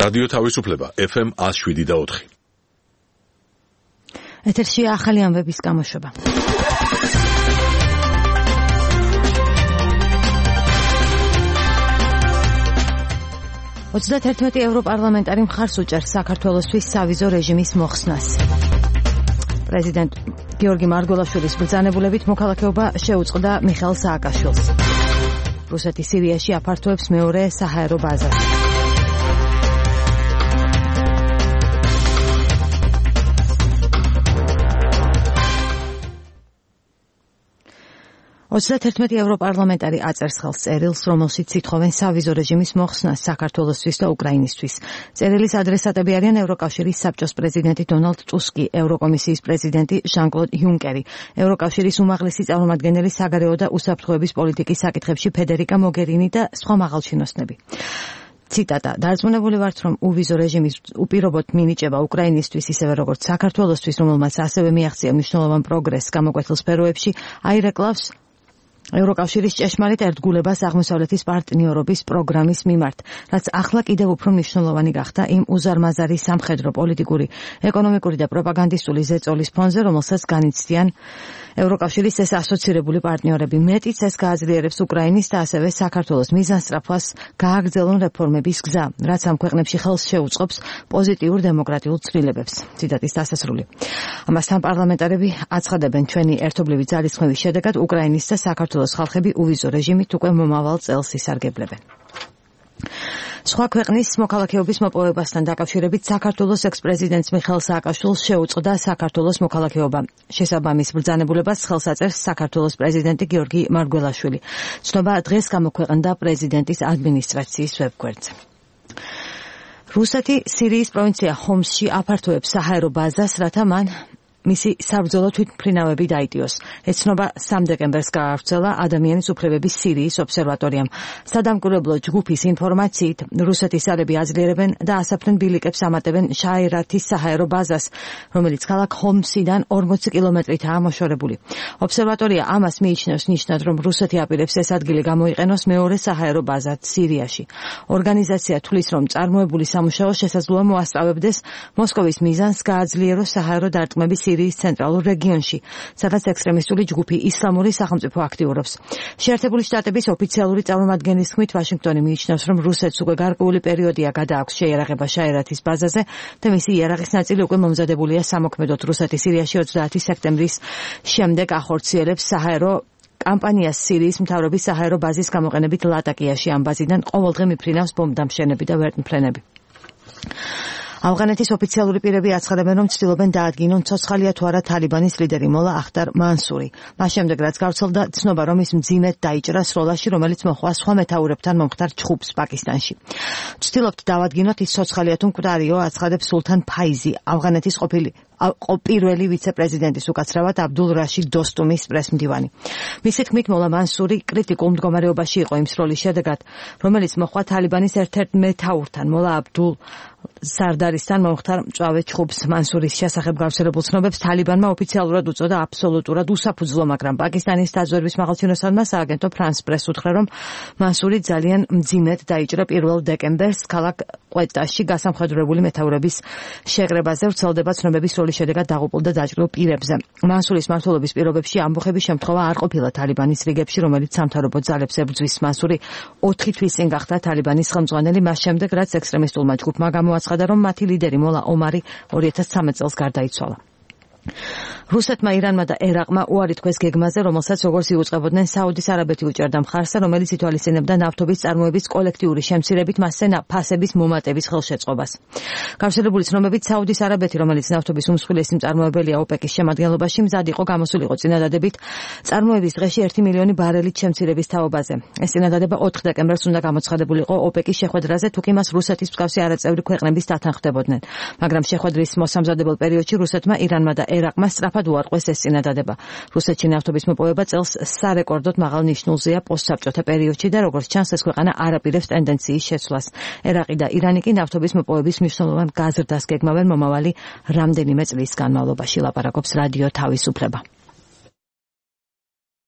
რადიო თავისუფლება FM 107.4. ეთერშია ახალი ამბების გამოშვება. €31 ევროპარლამენტარი მხარს უჭერს საქართველოსთვის სავიზო რეჟიმის მოხსნას. პრეზიდენტ გიორგი მარგველაშვილის ბრძანებულებით მოქალაქეობა შეუწყდა მიხეილ სააკაშვილს. რუსეთი სირიაში აფართოებს მეორე საჰაერო ბაზას. €31 ევროპარლამენტარი აწერს ხელს წერილს, რომელშიც ითხოვენ სავიზო რეჟიმის მოხსნას საქართველოსთვის და უკრაინისთვის. წერილის ადრესატები არიან ევროკავშირის საბჭოს პრეზიდენტი დონალდ ტუსკი, ევროკომისიის პრეზიდენტი ჟან-კლოდ იუნკერი, ევროკავშირის უმაღლესი წარმომადგენელი საგარეო და უსაფრთხოების პოლიტიკის საკითხებში ფედერიკა მოგერინი და სხვა მაღალჩინოსნები. ციტატა: დარწმუნებული ვართ, რომ უვიზო რეჟიმის უპირობოდ მინიჭება უკრაინისთვის, ისევე როგორც საქართველოსთვის, რომელმაც ასევე მიაღწია მნიშვნელოვან პროგრესს გამოკვეთილ სფეროებში, აირეკლავს ევროკავშირის ჭეშმარიტ ერთგულებას აღმოსავლეთის პარტნიორობის პროგრამის მიმართ, რაც ახლა კიდევ უფრო მნიშვნელოვანი გახდა იმ უზარმაზარი სამხედრო, პოლიტიკური, ეკონომიკური და პროპაგანდისტული ზეწოლის ფონზე, რომელსაც განიცდიან ევროკავშირის ეს ასოცირებული პარტნიორები. მეტიც ეს გააძლიერებს უკრაინის და ასევე საქართველოს მიზანსწრაფვას გააგრძელონ რეფორმების გზა, რაც ამ ქვეყნებში ხელს შეუწყობს პოზიტიურ დემოკრატიულ ცვლილებებს. ციტატის დასასრული. ამასთან პარლამენტარები აცხადებენ, ჩვენი ერთობლივი ძალისხმევის შედეგად უკრაინის და საქართველოს ხალხები უვიზო რეჟიმით უკვე მომავალ წელს ისარგებლებენ. სხვა ქვეყნის მოქალაქეობის მოპოვებასთან დაკავშირებით საქართველოს ექს-პრეზიდენტს მიხეილ სააკაშვილს შეუწყდა საქართველოს მოქალაქეობა. შესაბამის ბრძანებულებას ხელს აწერს საქართველოს პრეზიდენტი გიორგი მარგველაშვილი. ცნობა დღეს გამოქვეყნდა პრეზიდენტის ადმინისტრაციის ვებგვერდზე. რუსეთი სირიის პროვინცია ჰომსში აფართოებს საჰაერო ბაზას, რათა მან მისი საბრძოლო თვითმფრინავები დაიტიოს. ეს ცნობა 3 დეკემბერს გაავრცელა ადამიანის უფლებების სირიის ობსერვატორიამ. სადამკვირვებლო ჯგუფის ინფორმაციით, რუსეთის ძალები აძლიერებენ და ასაფრენ ბილიკებს ამატებენ შაირათის საჰაერო ბაზას, რომელიც ქალაქ ჰომსიდან 40 კილომეტრითაა მოშორებული. ობსერვატორია ამას მიიჩნევს ნიშნად, რომ რუსეთი აპირებს ეს ადგილი გამოიყენოს მეორე საჰაერო ბაზად სირიაში. ორგანიზაცია თვლის, რომ წარმოებული სამუშაო შესაძლოა მოასწავებდეს მოსკოვის მიზანს გააძლიეროს საჰაერო დარტყმების სირიის ცენტრალურ რეგიონში, სადაც ექსტრემისტული ჯგუფი ისლამური სახელმწიფო აქტიურობს. შეერთებული შტატების ოფიციალური წარმომადგენლის თქმით, ვაშინგტონი მიიჩნევს, რომ რუსეთს უკვე გარკვეული პერიოდია გადააქვს შეიარაღება შაირათის ბაზაზე და მისი იარაღის ნაწილი უკვე მომზადებულია სამოქმედოდ. რუსეთი სირიაში 30 სექტემბრის შემდეგ ახორციელებს საჰაერო კამპანიას სირიის მთავრობის საჰაერო ბაზის გამოყენებით ლატაკიაში. ამ ბაზიდან ყოველდღე მიფრინავს ბომბდამშენები და ვერტმფრენები. ავღანეთის ოფიციალური პირები აცხადებენ, რომ ცდილობენ დაადგინონ ცოცხალია თუ არა თალიბანის ლიდერი მოლა ახტარ მანსური. მას შემდეგ, რაც გავრცელდა ცნობა, რომ ის მძიმედ დაიჭრა სროლაში, რომელიც მოჰყვა სხვა მეთაურებთან მომხდარ ჩხუბს პაკისტანში. ვცდილობთ დავადგინოთ, ის ცოცხალია თუ მკვდარიო, აცხადებს სულთან ფაიზი, ავღანეთის პირველი ვიცე-პრეზიდენტის უკაცრავად აბდულ რაშიდ დოსტუმის პრესმდივანი. მისი თქმით, მოლა მანსური კრიტიკულ მდგომარეობაში იყო იმ სროლის შედეგად, რომელიც მოჰყვა თალიბანის ერთ-ერთ მეთაურთან, მოლა აბდულ სარდარისთან მომხდარ მწვავე ჩხუბს. მანსურის შესახებ გავრცელებულ ცნობებს თალიბანმა ოფიციალურად უწოდა აბსოლუტურად უსაფუძვლო, მაგრამ პაკისტანის დაზვერვის მაღალჩინოსანმა სააგენტო ფრანს პრეს უთხრა, რომ მანსური ძალიან მძიმედ დაიჭრა 1 დეკემბერს ქალაქ ყვეტაში გასამხედროებული მეთაურების შეკრებაზე. ვრცელდება ცნობები სროლის შედეგად დაღუპულ და დაჭრილ პირებზე. მანსურის მმართველობის პირობებში ამბოხების შემთხვევა არ ყოფილა თალიბანის რიგებში, რომელიც სამთავრობო ძალებს ებრძვის. მანსური 4 თვის წინ გახდა თალიბანის ხელმძღვანელი, მას შემდეგ, რაც ექსტრემისტულმა ჯგუფმა გამოაცხადა, რომ მათი ლიდერი მოლა ომარი 2013 წელს გარდაიცვალა. რუსეთმა, ირანმა და ერაყმა უარი თქვეს გეგმაზე, რომელსაც როგორც იუწყებოდნენ საუდის არაბეთი უჭერდა მხარს, რომელიც ითვალისწინებდა ნავთობის წარმოების კოლექტიური შემცირებით მასზე ფასების მომატების ხელშეწყობას. გავრცელებული ცნობებით, საუდის არაბეთი, რომელიც ნავთობის უმსხვილესი მწარმოებელია ოპეკის შემადგენლობაში, მზად იყო გამოსულიყო წინადადებით წარმოების დღეში 1 მილიონი ბარელით შემცირების თაობაზე. ეს წინადადება 4 დეკემბერს უნდა გამოცხადებულიყო ოპეკის შეხვედრაზე, თუ კი მას რუსეთის მსგავსი არაწევრი ქვეყნების დათანხმდებოდნენ. მაგრამ შეხვედრის მოსამზადებელ პერიოდში რუსეთმა, ირანმა და ერაყმა სწრაფად უარყვეს ეს წინადადება. რუსეთში ნავთობის მოპოვება წელს სარეკორდოდ მაღალ ნიშნულზეა პოსტსაბჭოთა პერიოდში და როგორც ჩანს, ეს ქვეყანა არ აპირებს ტენდენციის შეცვლას. ერაყი და ირანი კი ნავთობის მოპოვების მნიშვნელოვან გაზრდას გეგმავენ მომავალი რამდენიმე წლის განმავლობაში. ლაპარაკობს რადიო თავისუფლება.